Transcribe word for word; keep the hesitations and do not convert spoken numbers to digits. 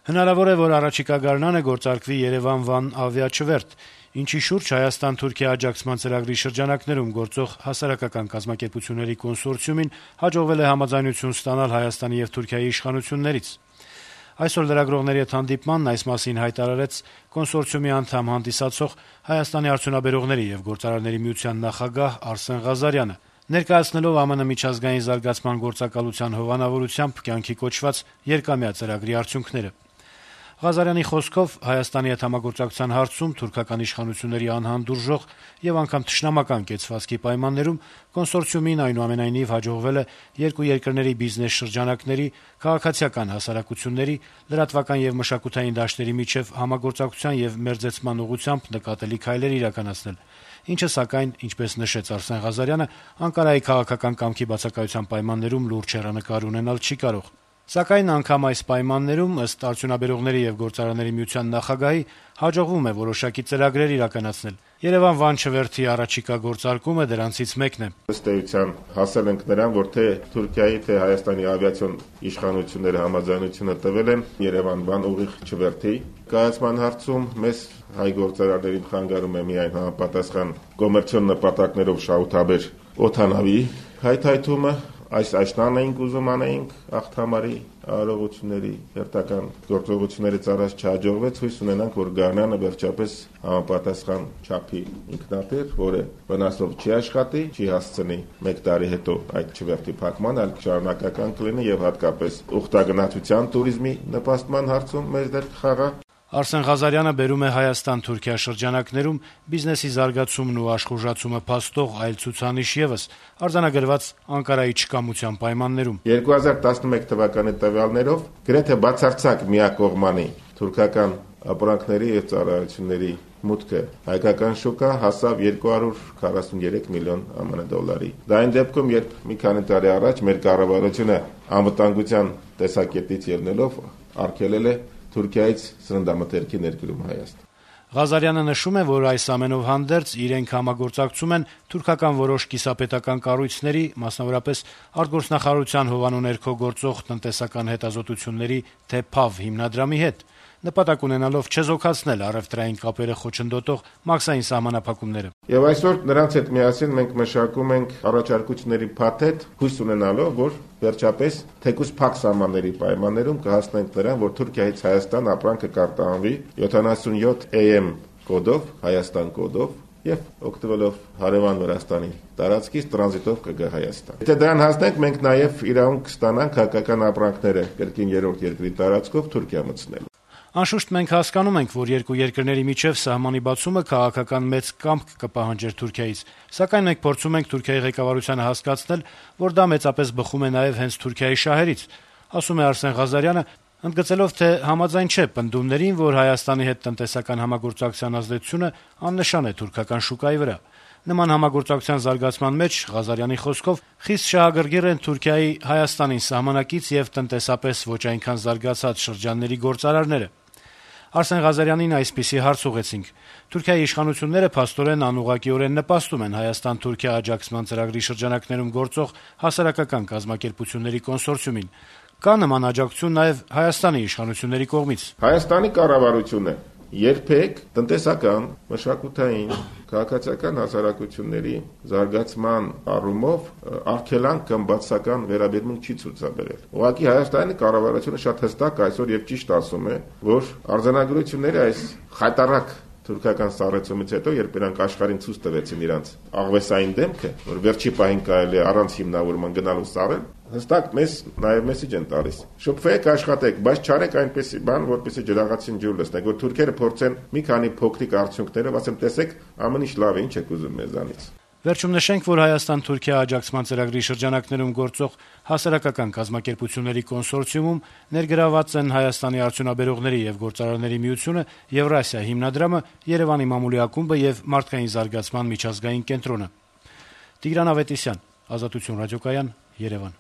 Հնարավոր է, որ առաջիկա գարնանը գործարկվի Երևան-Վան ավիաչվերթ, ինչի շուրջ Հայաստան-Թուրքիա աջակցման ծրագրի շրջանակներում գործող հասարակական կազմակերպությունների կոնսորցիումին հաջողվել է համաձայնություն ստանալ Հայաստանի եւ Թուրքիայի իշխանություններից։ Այսօր լրագրողների հետ հանդիպմանն այս մասին հայտարարեց կոնսորցիումի անդամ հանդիսացող Հայաստանի արդյունաբերողների եւ գործարարների միության նախագահ Արսեն Ղազարյանը, ներկայացնելով ԱՄՆ միջազգային զարգացման գործակալության հովանավորությամբ կյանքի կոչված երկամյա ծրագրի արդյունքները։ Ղազարյանի խոսքով Հայաստանի հետ համագործակցության հարցում թուրքական իշխանությունների անհանդուրժող եւ անգամ թշնամական կեցվածքի պայմաններում կոնսորցիումին այնուամենայնիվ հաջողվել է երկու երկրների բիզնես շրջանակների, քաղաքացիական հասարակությունների, լրատվական եւ մշակութային դաշտերի միջև համագործակցության եւ մերձեցման ուղղությամբ նկատելի քայլեր իրականացնել, ինչը սակայն, ինչպես նշեց Արսեն Ղազարյանը, Անկարայի քաղաքական կամքի բացակայության պայմաններում լուրջ հեռանկար ունենալ չի կարող։ Սակայն անգամ այս պայմաններում, ըստ արդյունաբերողների եւ գործարանների միության նախագահի, հաջողվում է որոշակի ծրագրեր իրականացնել։ Երևան-Վան չվերթի առաջիկա գործարկումը դրանցից մեկն է։ Ըստ էության հասել ենք նրան, որ թե Թուրքիայի, թե Հայաստանի ավիացիոն իշխանությունները համաձայնությունը տվել են Երևան-Վան ուղիղ չվերթի կայացման հարցում։ Մեզ հայ գործարարներին խանգարում է միայն համապատասխան կոմերցիոն նպատակներով շահութաբեր օդանավի հայթայթումը։ Այս աշնան էինք ուզում անեինք աղթամարի արարողությունների հերթական գործողություններից առաջ չհաջողվեց, հույս ունենանք, որ գարնանը վերջապես համապատասխան չափի ինքնաթիռ, որը վնասով չի աշխատի, չի հասցնի մեկ տարի հետո այդ չվերթի փակման, այլ շարունակական կլինի եւ հատկապես ուխտագնացության туриզմի նպաստման հարցում մեծ դեր կխաղա։ Արսեն Ղազարյանը բերում է Հայաստան-Թուրքիա շրջանակներում բիզնեսի զարգացումն ու աշխուժացումը փաստող այլ ցուցանիշ եւս արձանագրված Անկարայի չկամության պայմաններում։ երկու հազար տասնմեկ թվականի տվյալներով գրեթե բացարձակ միակողմանի թուրքական ապրանքների եւ ծառայությունների մուտքը հայկական շուկա հասավ երկու հարյուր քառասուններեք միլիոն ԱՄՆ դոլարի։ Դա այն դեպքում, երբ մի քանի տարի առաջ մեր կառավարությունը անվտանգության տեսակետից ելնելով արգելել է Թուրքիայից սննդամթերքի ներկրում Հայաստան։ Ղազարյանը նշում է, որ այս ամենով հանդերձ իրենք համագործակցում են թուրքական որոշ կիսապետական կառույցների, մասնավորապես արտգործնախարարության հովանու ներքո գործող տնտեսական հետազոտությունների ԹԵՓԱՎ հիմնադրամի հետ, նպատակ ունենալով չեզոքացնել առևտրային կապերը խոչընդոտող մաքսային սահմանափակումները։ Եվ այսօր նրանց հետ միասին մենք մշակում ենք առաջարկությունների փաթեթ, հույս ունենալով, որ վերջապես թեկուզ փակ սահմանների պայմաններում կհասնենք նրան, որ Թուրքիայից Հայաստան ապրանքը կարտահանվի յոթանասունյոթ A M կոդով, Հայաստան կոդով, եւ օգտվելով հարևան Վրաստանի տարածքից տրանզիտով կգա Հայաստան։ Եթե դրան հասնենք, մենք նաեւ իրավունք կստանանք հայկական ապրանքները կրկին երրորդ երկրի տարածքով Թուրքիա մտցնել։ Անշուշտ մենք հասկանում ենք, որ երկու երկրների միջև սահմանի բացումը քաղաքական մեծ կամք կպահանջեր Թուրքիայից, սակայն մենք փորձում ենք Թուրքիայի ղեկավարությանը հասկացնել, որ դա մեծապես բխում է նաև հենց Թուրքիայի շահերից, ասում է Արսեն Ղազարյանը, ընդգծելով, թե համաձայն չէ պնդումներին, որ Հայաստանի հետ տնտեսական համագործակցության ազդեցությունը աննշան է թուրքական շուկայի վրա։ Նման համագործակցության զարգացման մեջ Ղազարյանի խոսքով խիստ շահագրգիռ են Թուրքիայի Հայաստանին սահմանակից եւ տնտեսապես ոչ այնքան զարգացած շրջանների գործարարները։ Արսեն Ղազարյանին այսպիսի հարց ուղեցինք. Թուրքիայի իշխանությունները փաստորեն անուղղակիորեն նպաստում են Հայաստան-Թուրքիա աջակցման ծրագրի շրջանակներում գործող հասարակական կազմակերպությունների կոնսորցիումին։ Կա նման աջակցություն նաեւ Հայաստանի իշխանությունների կողմից։ Հայաստանի կառավարությունը երբեք տնտեսական, մշակութային, քաղաքացիական հասարակությունների զարգացման առումով արգելանք կամ բացասական վերաբերմունք չի ցուցաբերել։ Ուղղակի Հայաստանի կառավարությունը շատ հստակ այսօր եւ ճիշտ ասում է, որ արձանագրությունները այս խայտարակ թուրքական սառեցումից հետո, երբ նրանք աշխարհին ցույց տվեցին իրանց աղվեսային դեմքը, որ վերջի պահին կարելի է առանց հիմնավորման գնալու սառել, հստակ մեզ նաև մեսիջ են տալիս։ Շփվեք, աշխատեք, բայց չարեք այնպեսի բան, որպեսզի ջրաղացին ջուր լցնեք, որ թուրքերը փորձեն մի քանի փոքրիկ արդյունքներով, ասեմ, տեսեք, ամեն ինչ լավ է, ինչ եք ուզում մեզանից։ Վերջում նշենք, որ Հայաստան-Թուրքիա աջակցման ծրագրի շրջանակներում գործող հասարակական կազմակերպությունների կոնսորցիումում ներգրաված են Հայաստանի արդյունաբերողների եւ գործարարների միությունը, Եվրասիա հիմնադրամը, Երևանի մամուլի ակումբը եւ Մարդկային զարգացման միջազգային կենտրոնը։ Տիգրան Ավետիսյան, Ազատություն ռադիոկայան, Երևան։